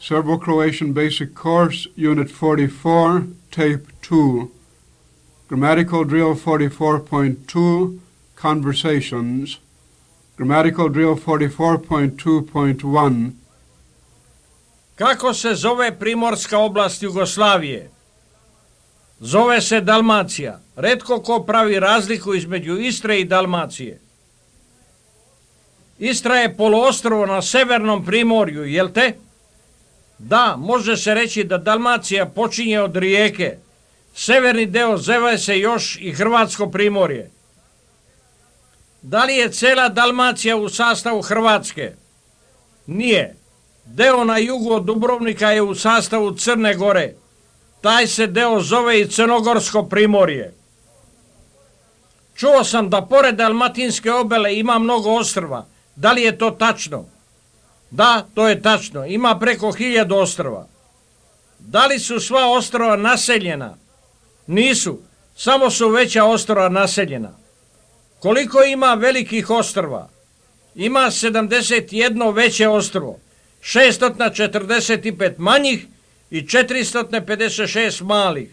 Serbo-Croatian Basic Course, Unit 44, Tape 2. Grammatical Drill 44.2, Conversations. Grammatical Drill 44.2.1. Kako se zove primorska oblast Jugoslavije? Zove se Dalmacija. Retko ko pravi razliku između Istre i Dalmacije. Istra je poluostrvo na severnom primorju, jel te? Da, može se reći da Dalmacija počinje od Rijeke. Severni deo zove se još i Hrvatsko primorje. Da li je cela Dalmacija u sastavu Hrvatske? Nije. Deo na jugu od Dubrovnika je u sastavu Crne Gore. Taj se deo zove i Crnogorsko primorje. Čuo sam da pored Dalmatinske obale ima mnogo ostrva. Da li je to tačno? Da, to je tačno. Ima preko 1000 ostrva. Da li su sva ostrva naseljena? Nisu. Samo su veća ostrva naseljena. Koliko ima velikih ostrva? Ima 71 veće ostrvo, 645 manjih i 456 malih.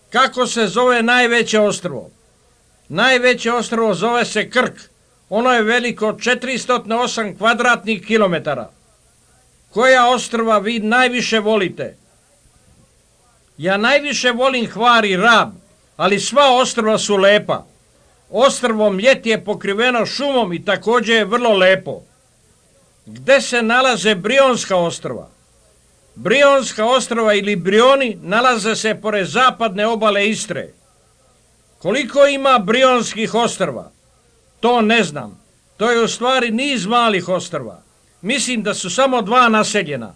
Kako se zove najveće ostrvo? Najveće ostrvo zove se Krk. Ono je veliko 408 kvadratnih kilometara. Koja ostrva vi najviše volite? Ja najviše volim Hvar i Rab, ali sva ostrva su lepa. Ostrvo Mljet je pokriveno šumom i također je vrlo lepo. Gde se nalaze Brionska ostrva? Brionska ostrva ili Brioni nalaze se pored zapadne obale Istre. Koliko ima Brionskih ostrva? To ne znam. To je u stvari niz malih ostrva. Mislim da su samo 2 naseljena.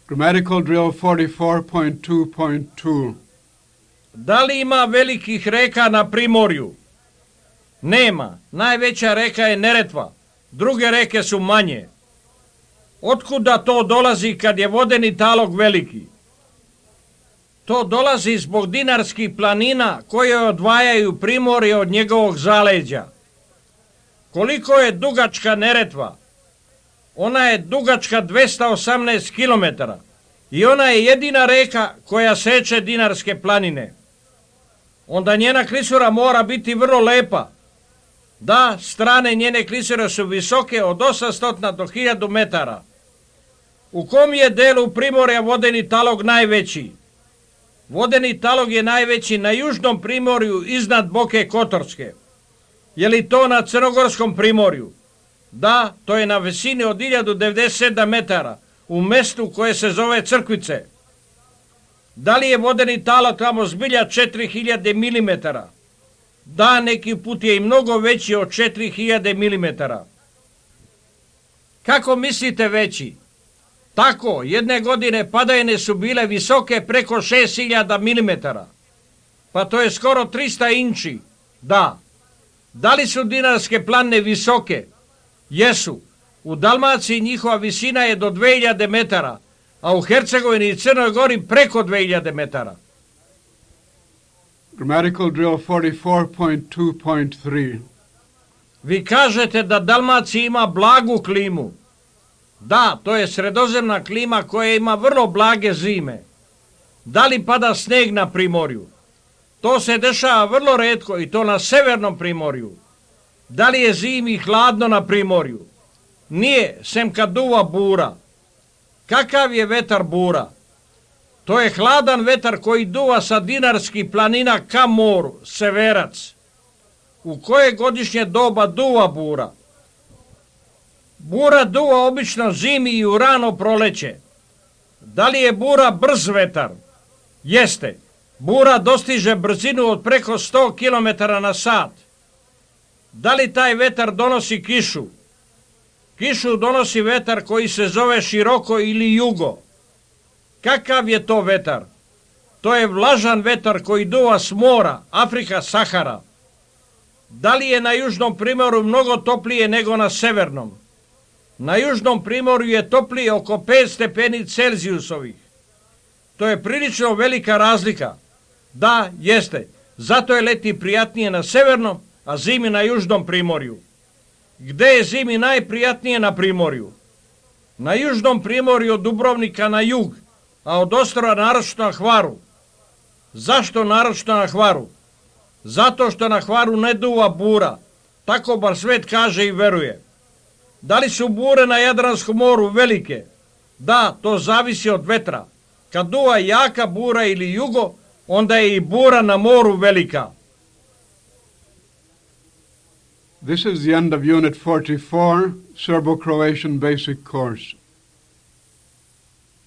Grammatical Drill 44.2.2. Da li ima velikih reka na primorju? Nema. Najveća reka je Neretva. Druge reke su manje. Otkuda to dolazi kad je vodeni talog veliki? To dolazi zbog dinarskih planina koje odvajaju primorje od njegovog zaleđa. Koliko je dugačka Neretva? Ona je dugačka 218 km i ona je jedina reka koja seče dinarske planine. Onda njena klisura mora biti vrlo lepa. Da, strane njene klisure su visoke od 800 do 1000 metara. U kom je delu primorja vodeni talog najveći? Vodeni talog je najveći na južnom primorju iznad Boke Kotorske. Je li to na Crnogorskom primorju? Da, to je na visini od 1097 metara, u mestu koje se zove Crkvice. Da li je vodeni talog tamo zbilja 4000 mm? Da, neki put je i mnogo veći od 4000 mm. Kako mislite veći? Tako, jedne godine padajine su bile visoke preko 6000 mm. Pa to je skoro 300 inči. Da. Da li su dinarske planine visoke? Jesu. U Dalmaciji njihova visina je do 2000 metara, a u Hercegovini i Crnoj Gori preko 2000 metara. Grammatical Drill 44.2.3. Vi kažete da Dalmacija ima blagu klimu. Da, to je sredozemna klima koja ima vrlo blage zime. Da li pada sneg na primorju? To se dešava vrlo retko i to na severnom primorju. Da li je zimi hladno na primorju? Nije, sem kad duva bura. Kakav je vetar bura? To je hladan vetar koji duva sa dinarskih planina ka moru, severac. U koje godišnje doba duva bura? Bura duva obično zimi i u rano proleće. Da li je bura brz vetar? Jeste. Bura dostiže brzinu od preko 100 km na sat. Da li taj vetar donosi kišu? Kišu donosi vetar koji se zove široko ili jugo. Kakav je to vetar? To je vlažan vetar koji duva s mora, Afrika, Sahara. Da li je na južnom primorju mnogo toplije nego na severnom? Na južnom primorju je toplije oko 5 stepeni Celzijusovih. To je prilično velika razlika. Da, jeste. Zato je leti prijatnije na severnom, a zimi na južnom primorju. Gde je zimi najprijatnije na primorju? Na južnom primorju od Dubrovnika na jug, a od ostrva naročito na Hvaru. Zašto naročito na Hvaru? Zato što na Hvaru ne duva bura, tako bar svet kaže i veruje. Da li su bure na Jadranskom moru velike? Da, to zavisi od vetra. Kad duva jaka bura ili jugo, onda je i bura na moru velika. This is the end of Unit 44, Serbo-Croatian Basic Course.